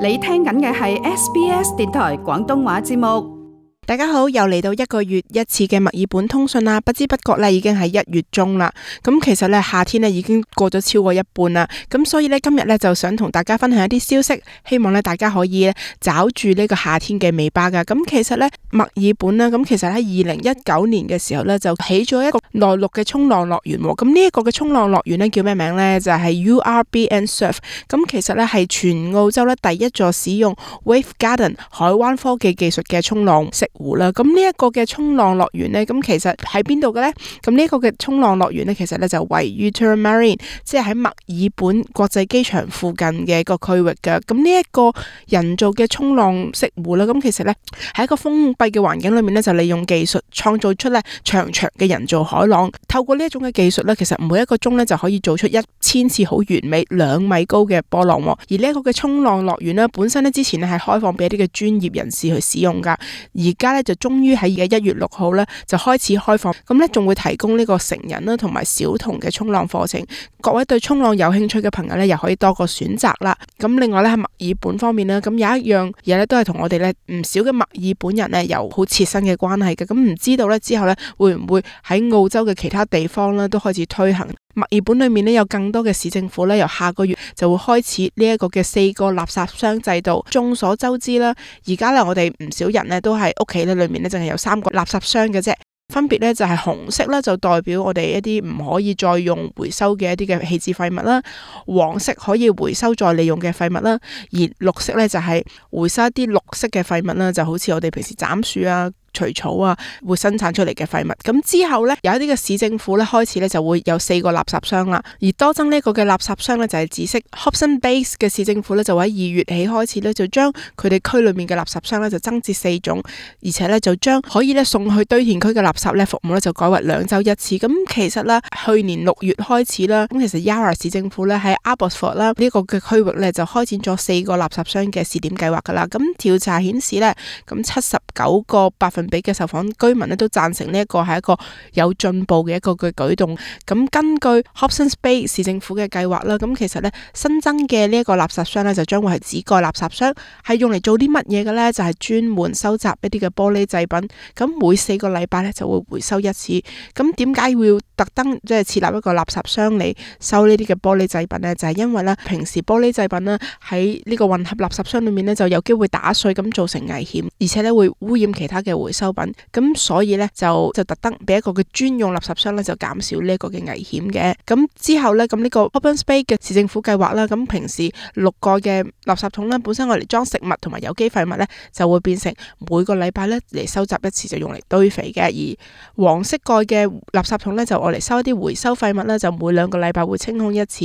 你聽緊嘅係 SBS 電台廣東話節目。大家好，又嚟到1個月一次嘅墨爾本通訊啦，不知不覺咧已經係1月中啦。咁其實咧夏天咧已經過咗超過一半啦，咁所以咧今日咧就想同大家分享一啲消息，希望咧大家可以咧找住呢個夏天嘅尾巴噶。咁其實咧墨爾本啦，咁其實喺2019年嘅時候咧就起咗一個內陸嘅衝浪樂園。咁呢一個嘅衝浪樂園咧叫咩名咧？就係 URBN Surf。咁其實咧係全澳洲咧第一座使用 Wave Garden 海灣科技技術嘅衝浪式湖啦。咁呢一個嘅衝浪樂園呢，咁其實喺邊度嘅呢？咁呢一個嘅衝浪樂園呢，其實呢就位於 Tullamarine， 即係喺墨爾本國際機場附近嘅一個區域嘅。咁呢一個人造嘅衝浪式湖啦，咁其實呢喺一個封閉嘅環境裏面呢，就利用技術創造出呢長長嘅人造海浪。透過呢一種嘅技術呢，其實每一個鐘呢就可以做出1000次好完美2米高嘅波浪。而呢一個嘅衝浪樂園呢，本身呢之前呢係開放俾一啲嘅專業人士去使用噶，而家呢就終於喺1月6號呢就開始開放，咁呢仲會提供呢個成人啦同埋小童嘅衝浪課程。各位對衝浪有興趣嘅朋友呢，又可以多個選擇啦。咁另外呢喺墨爾本方面呢，咁有一樣嘢呢都係同我哋呢唔少嘅墨爾本人呢有好切身嘅關係嘅。咁唔知道呢之後呢會唔會喺澳洲嘅其他地方呢都開始推行？墨爾本裏面呢有更多嘅市政府呢由下個月就會開始呢一個嘅4個垃圾箱制度。眾所周知啦，而家呢我哋唔少人呢都係屋企呢裏面呢淨係有3個垃圾箱嘅啫，分別呢就係紅色呢就代表我哋一啲唔可以再用回收嘅一啲嘅棄置廢物啦，黃色可以回收再利用嘅廢物啦，而綠色呢就係回收一啲綠色嘅廢物啦，就好似我哋平時斬樹啊除草啊會生產出嚟嘅廢物。咁之後呢，有一啲嘅市政府呢開始呢就會有4個垃圾箱啦，而多增呢個嘅垃圾箱呢，就係紫色。Hobson Bay 嘅市政府呢，就喺2月起開始呢，就將佢哋區裏面嘅垃圾箱呢，就增至4種，而且呢，就將可以呢送去堆填區嘅垃圾呢服務呢，就改為2週1次。咁其實呢，去年6月開始啦，咁其實 Yarra 市政府呢，喺 Abbotsford 啦呢個嘅區域呢，就開展咗4個垃圾箱嘅試點計劃噶啦。咁調查顯示呢，咁79%嘅受訪居民咧都贊成呢一個係一個有進步嘅一個嘅舉動。咁根據 Hobsons Bay 市政府嘅計劃啦，咁其實咧新增嘅呢一個垃圾箱咧就將會係紙蓋垃圾箱，係用嚟做啲乜嘢嘅咧？就係專門收集一啲嘅玻璃製品。咁每4個禮拜咧就會回收1次。咁點解要特登即係設立一個垃圾箱嚟收呢啲嘅玻璃製品咧？就係因為咧平時玻璃製品咧喺呢個混合垃圾箱裏面咧就有機會打碎，咁造成危險，而且咧會污染其他嘅回收品。咁所以咧就特登俾一個嘅專用垃圾箱咧，就減少呢一個嘅危險嘅。咁之後咧，咁呢個 Hobsons Bay 嘅市政府計劃啦，咁平時6個嘅垃圾桶咧，本身我嚟裝食物同埋有機廢物咧，就會變成每個禮拜咧嚟收集1次，就用嚟堆肥嘅。而黃色蓋嘅垃圾桶咧，就我嚟收一啲回收廢物咧，就每2個禮拜會清空1次。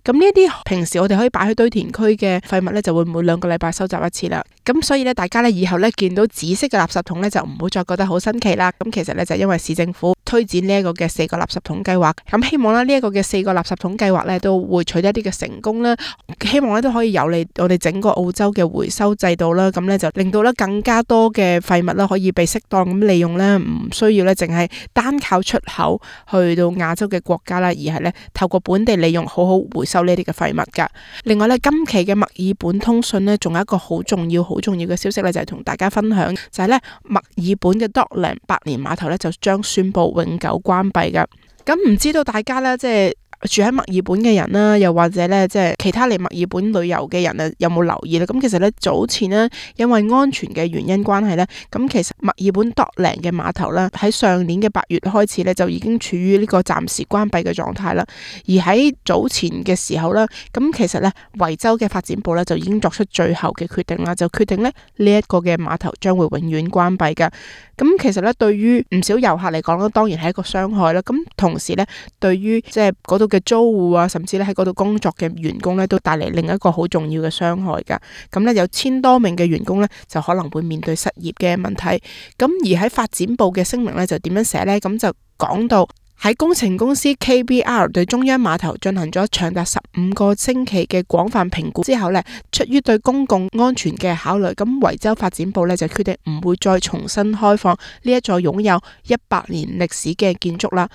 咁呢啲平時我哋可以擺去堆填區嘅廢物咧，就會每2個禮拜收集1次啦。咁所以咧，大家咧以後咧見到紫色嘅垃圾桶咧，就唔好再覺得好新奇啦。咁其實咧就因為市政府推展呢一個嘅4個垃圾桶計劃，咁希望咧呢一個嘅4個垃圾桶計劃咧都會取得一啲嘅成功啦。希望咧都可以有利我哋整個澳洲嘅回收制度啦。咁咧就令到咧更加多嘅廢物啦可以被適當咁利用咧，唔需要咧淨係單靠出口去到亞洲嘅國家啦，而係咧透過本地利用好好回收呢啲嘅廢物噶。另外咧今期嘅墨爾本通訊呢，仲有一個好重要嘅消息咧，就係同大家分享，就係咧墨爾本嘅 Dockland 百年碼頭咧就將宣布永久關閉噶。咁唔知道大家咧即係住喺墨爾本嘅人啦，又或者咧即係其他嚟墨爾本旅遊嘅人啊，有冇留意咧？咁其實咧早前呢，因為安全嘅原因關係咧，咁其實墨爾本 Dockland 嘅碼頭咧喺上年嘅8月開始咧就已經處於呢個暫時關閉嘅狀態啦。而喺早前嘅時候咧，咁其實咧維州嘅發展部咧就已經作出最後嘅決定啦，就決定咧呢一個嘅碼頭將會永遠關閉嘅。咁其實咧對於唔少遊客嚟講咧，當然係一個傷害啦。咁同時咧，對於即係嗰度嘅租戶啊，甚至咧喺嗰度工作嘅員工咧，都帶嚟另一個好重要嘅傷害噶。咁咧有1000多名嘅員工咧，就可能會面對失業嘅問題。咁而喺發展部嘅聲明咧，就點樣寫咧？咁就講到喺工程公司 KBR 對中央碼頭進行咗長達15個星期嘅廣泛評估之後呢，出於對公共安全嘅考慮，咁維州發展部呢就決定唔會再重新開放呢一座擁有100年歷史嘅建築啦。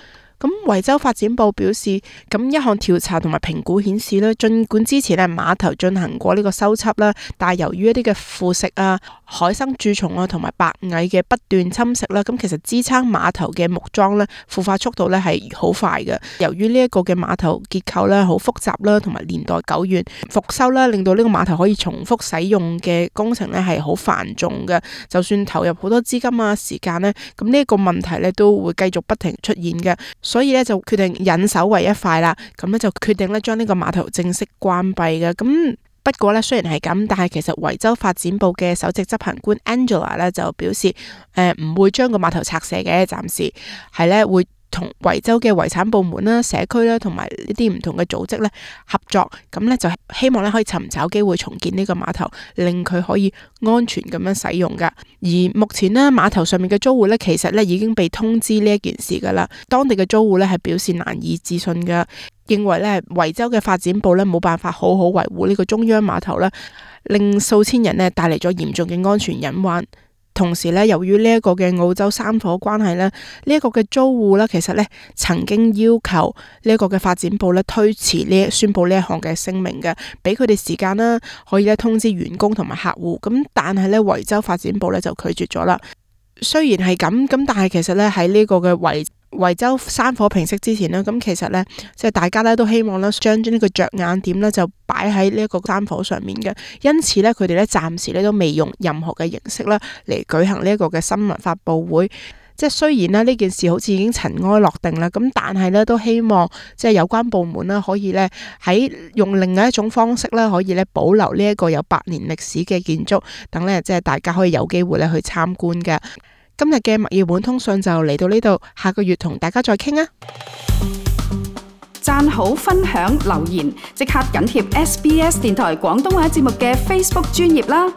咁維州發展部表示，咁一項調查同埋評估顯示咧，儘管之前咧碼頭進行過呢個修葺啦，但係由於一啲嘅腐蝕啊、海生蛀蟲啊同埋白蟻嘅不斷侵蝕啦，咁其實支撐碼頭嘅木樁咧腐化速度咧係好快嘅。由於呢一個嘅碼頭結構咧好複雜啦，同埋年代久遠，復修啦令到呢個碼頭可以重複使用嘅工程咧係好繁重嘅。就算投入好多資金啊、時間咧，咁呢一個問題咧都會繼續不停出現嘅。所以咧就決定忍手為一快啦，咁咧就決定咧將呢個碼頭正式關閉嘅。咁不過咧雖然係咁，但係其實維州發展部嘅首席執行官 Angela 咧就表示，唔會將個碼頭拆卸嘅，暫時係咧會同維州嘅遺產部門啦、社區啦，同埋呢啲唔同嘅組織咧合作，咁咧就希望咧可以尋找機會重建呢個碼頭，令佢可以安全咁樣使用噶。而目前呢，碼頭上面嘅租戶咧，其實咧已經被通知呢一件事噶啦。當地嘅租戶咧係表示難以置信噶，認為咧維州嘅發展部咧冇辦法好好維護呢個中央碼頭啦，令數千人咧帶嚟咗嚴重嘅安全隱患。同時咧，由於呢一個嘅澳洲山火關係咧，呢一個嘅租戶咧，其實咧曾經要求呢一個嘅發展部咧推遲宣布呢一項嘅聲明嘅，俾佢哋時間啦，可以咧通知員工同埋客戶。咁但係咧維州發展部咧就拒絕咗啦。雖然係咁，但係其實咧喺呢個嘅維州山火平息之前呢，咁其實呢，即係大家咧都希望咧將呢個着眼點呢就擺喺呢一個山火上面嘅，因此呢，佢哋咧暫時咧都未用任何嘅形式啦嚟舉行呢一個嘅新聞發佈會。即係雖然呢件事好似已經塵埃落定啦，咁但係呢都希望即係有關部門啦可以呢喺用另外一種方式啦可以呢保留呢一個有100年歷史嘅建築，等呢即係大家可以有機會咧去參觀嘅。今日嘅墨爾本通訊就嚟到呢度，下個月同大家再傾啊！讚好、分享、留言，即刻緊貼SBS 電台廣東話節目嘅 Facebook 專頁啦！